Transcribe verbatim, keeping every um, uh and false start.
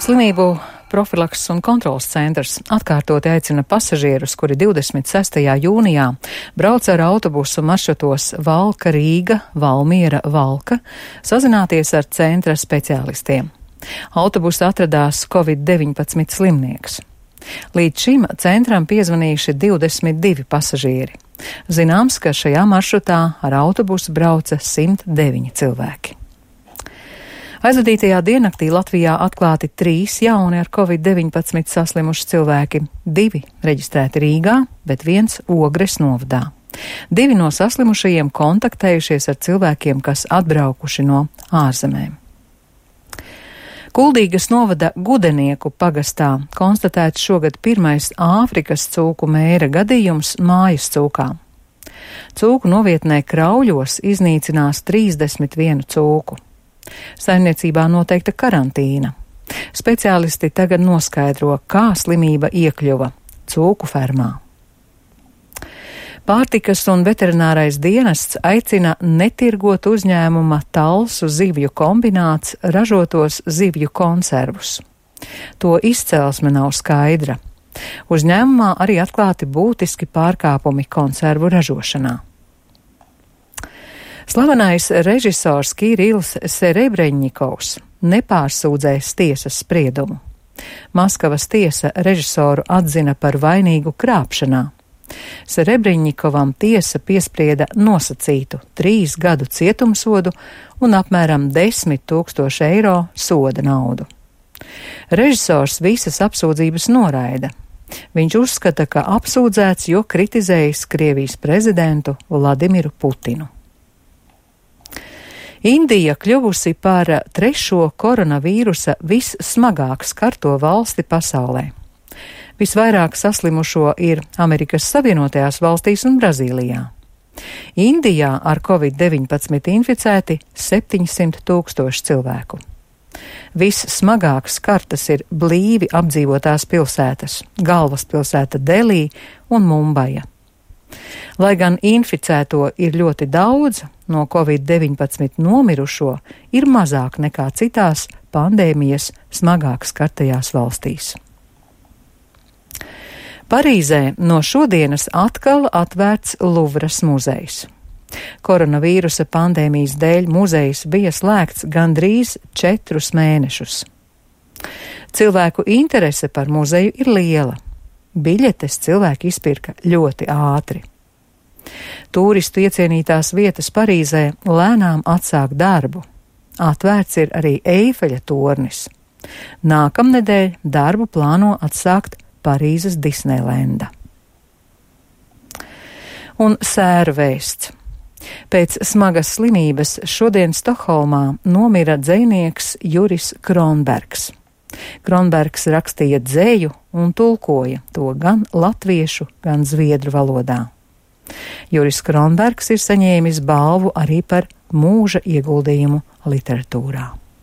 Slimību profilakses un kontrolas centrs atkārtoti aicina pasažierus, kuri divdesmit sestajā jūnijā brauc ar autobusu maršrutos Valka, Rīga, Valmiera, Valka, sazināties ar centra speciālistiem. Autobusā atradās covid deviņpadsmit slimnieks. Līdz šim centram piezvanījuši divdesmit divi pasažieri. Zināms, ka šajā maršrutā ar autobusu brauca simt deviņi cilvēki. Aizvadītajā diennaktī Latvijā atklāti trīs jauni ar covid deviņpadsmit saslimuši cilvēki. Divi reģistrēti Rīgā, bet viens Ogres novadā. Divi no saslimušajiem kontaktējušies ar cilvēkiem, kas atbraukuši no ārzemēm. Kuldīgas novada Gudenieku pagastā konstatēts šogad pirmais Āfrikas cūku mēra gadījums mājas cūkām. Cūku novietnē Krauļos iznīcinās trīsdesmit vienu cūku. Saimniecībā noteikta karantīna. Speciālisti tagad noskaidro, kā slimība iekļuva cūku fermā. Pārtikas un veterinārais dienests aicina netirgot uzņēmuma Talsu zivju kombināts ražotos zivju konservus. To izcelsme nav skaidra. Uzņēmumā arī atklāti būtiski pārkāpumi konservu ražošanā. Slavenais režisors Kirils Serebreņņikovs nepārsūdzēs tiesas spriedumu. Maskavas tiesa režisoru atzina par vainīgu krāpšanā. Serebreņņikovam tiesa piesprieda nosacītu trīs gadu cietumsodu un apmēram desmit tūkstošu eiro soda naudu. Režisors visas apsūdzības noraida. Viņš uzskata, ka apsūdzēts, jo kritizējis Krievijas prezidentu Vladimiru Putinu. Indija kļuvusi par trešo koronavīrusa vissmagāk skarto valsti pasaulē. Visvairāk saslimušo ir Amerikas Savienotajās valstīs un Brazīlijā. Indijā ar covid deviņpadsmit inficēti septiņsimt tūkstoši cilvēku. Vissmagāk skartas ir blīvi apdzīvotās pilsētas - galvaspilsēta Delī un Mumbaja. Lai gan inficēto ir ļoti daudz, no covid deviņpadsmit nomirušo ir mazāk nekā citās pandēmijas smagāk skartajās valstīs. Parīzē no šodienas atkal atvērts Luvras muzejs. Koronavīrusa pandēmijas dēļ muzejs bija slēgts gandrīz četrus mēnešus. Cilvēku interese par muzeju ir liela. Biļetes cilvēki izpirka ļoti ātri. Tūristu iecienītās vietas Parīzē lēnām atsāk darbu. Atvērts ir arī Eifeļa tornis. Nākamnedēļ darbu plāno atsākt Parīzes Disneilenda. Un sēru vēsts. Pēc smagas slimības šodien Stokholmā nomira dzejnieks Juris Kronbergs. Kronbergs rakstīja dzēju un tulkoja to gan latviešu, gan zviedru valodā. Juris Kronbergs ir saņēmis balvu arī par mūža ieguldījumu literatūrā.